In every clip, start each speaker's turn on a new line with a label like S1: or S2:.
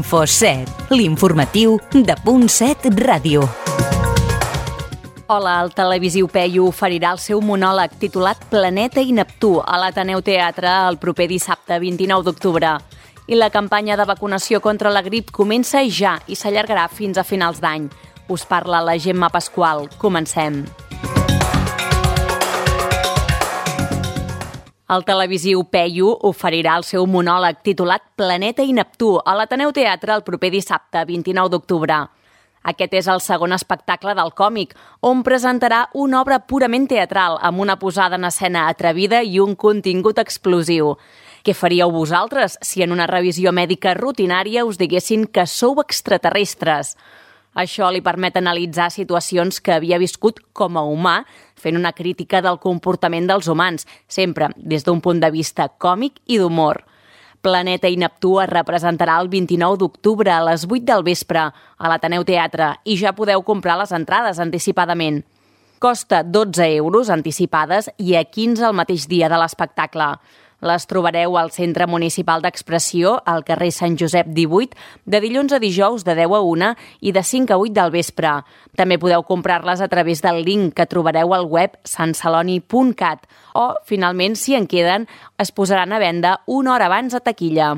S1: Info7, l'informatiu de Punt7 Ràdio.
S2: Hola, el televisiu Peyu oferirà el seu monòleg titulat Planeta i Neptú a l'Ateneu Teatre el proper dissabte 29 d'octubre. I la campanya de vacunació contra la grip comença ja i s'allargarà fins a finals d'any. Us parla la Gemma Pasqual. Comencem. El televisiu Peyu oferirà el seu monòleg titulat Planeta i Neptú a l'Ateneu Teatre el proper dissabte 29 d'octubre. Aquest és el segon espectacle del còmic, on presentarà una obra purament teatral amb una posada en escena atrevida i un contingut explosiu. Què faríeu vosaltres si en una revisió mèdica rutinària us diguessin que sou extraterrestres? Això li permet analitzar situacions que havia viscut com a humà, fent una crítica del comportament dels humans, sempre des d'un punt de vista còmic i d'humor. Planeta i Neptú es representarà el 29 d'octubre a les 8 del vespre a l'Ateneu Teatre i ja podeu comprar les entrades anticipadament. Costa 12 euros anticipades i a 15 el mateix dia de l'espectacle. Les trobareu al Centre Municipal d'Expressió, al carrer Sant Josep 18, de dilluns a dijous de 10 a 1 i de 5 a 8 del vespre. També podeu comprar-les a través del link que trobareu al web santceloni.cat o, finalment, si en queden, es posaran a venda una hora abans a taquilla.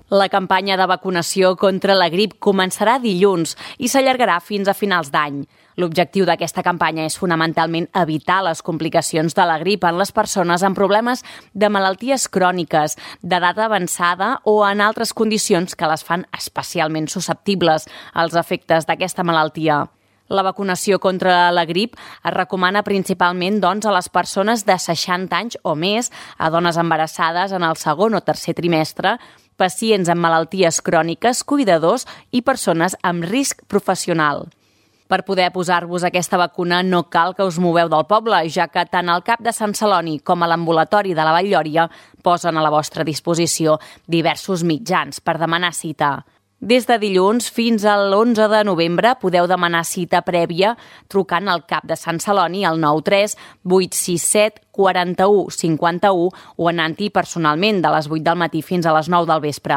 S2: La campanya de vacunació contra la grip començarà dilluns i s'allargarà fins a finals d'any. L'objectiu d'aquesta campanya és fonamentalment evitar les complicacions de la grip en les persones amb problemes de malalties cròniques, d'edat avançada o en altres condicions que les fan especialment susceptibles als efectes d'aquesta malaltia. La vacunació contra la grip es recomana principalment a les persones de 60 anys o més, a dones embarassades en el segon o tercer trimestre, pacients amb malalties cròniques, cuidadors i persones amb risc professional. Per poder posar-vos aquesta vacuna no cal que us moveu del poble, ja que tant el CAP de Sant Celoni com a l'ambulatori de la Vall-lloria posen a la vostra disposició diversos mitjans per demanar cita. Des de dilluns fins a l'11 de novembre podeu demanar cita prèvia trucant al CAP de Sant Celoni al 93 867 41 51 o anant-hi personalment de les 8 del matí fins a les 9 del vespre.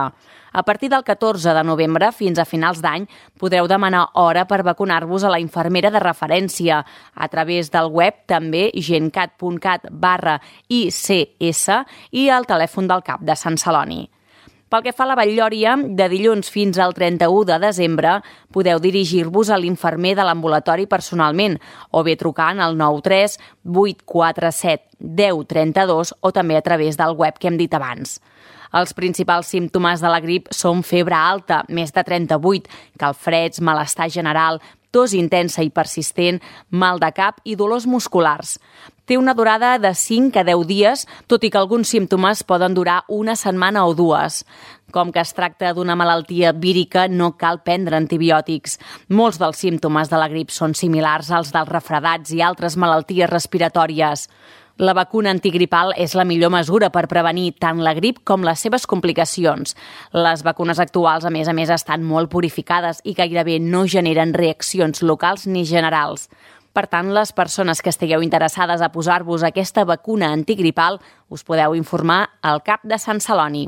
S2: A partir del 14 de novembre fins a finals d'any podreu demanar hora per vacunar-vos a la infermera de referència a través del web també gencat.cat/ICS i al telèfon del CAP de Sant Celoni. Pel que fa a la Vall-lloria, de dilluns fins al 31 de desembre podeu dirigir-vos a l'infermer de l'ambulatori personalment o bé trucant al 93 847 10 32 o també a través del web que hem dit abans. Els principals símptomes de la grip són febre alta, més de 38, calfreds, malestar general, tos intensa i persistent, mal de cap i dolors musculars. Té una durada de 5 a 10 dies, tot i que alguns símptomes poden durar una setmana o dues. Com que es tracta d'una malaltia vírica, no cal prendre antibiòtics. Molts dels símptomes de la grip són similars als dels refredats i altres malalties respiratòries. La vacuna antigripal és la millor mesura per prevenir tant la grip com les seves complicacions. Les vacunes actuals, a més, estan molt purificades i gairebé no generen reaccions locals ni generals. Per tant, les persones que estigueu interessades a posar-vos aquesta vacuna antigripal us podeu informar al CAP de Sant Celoni.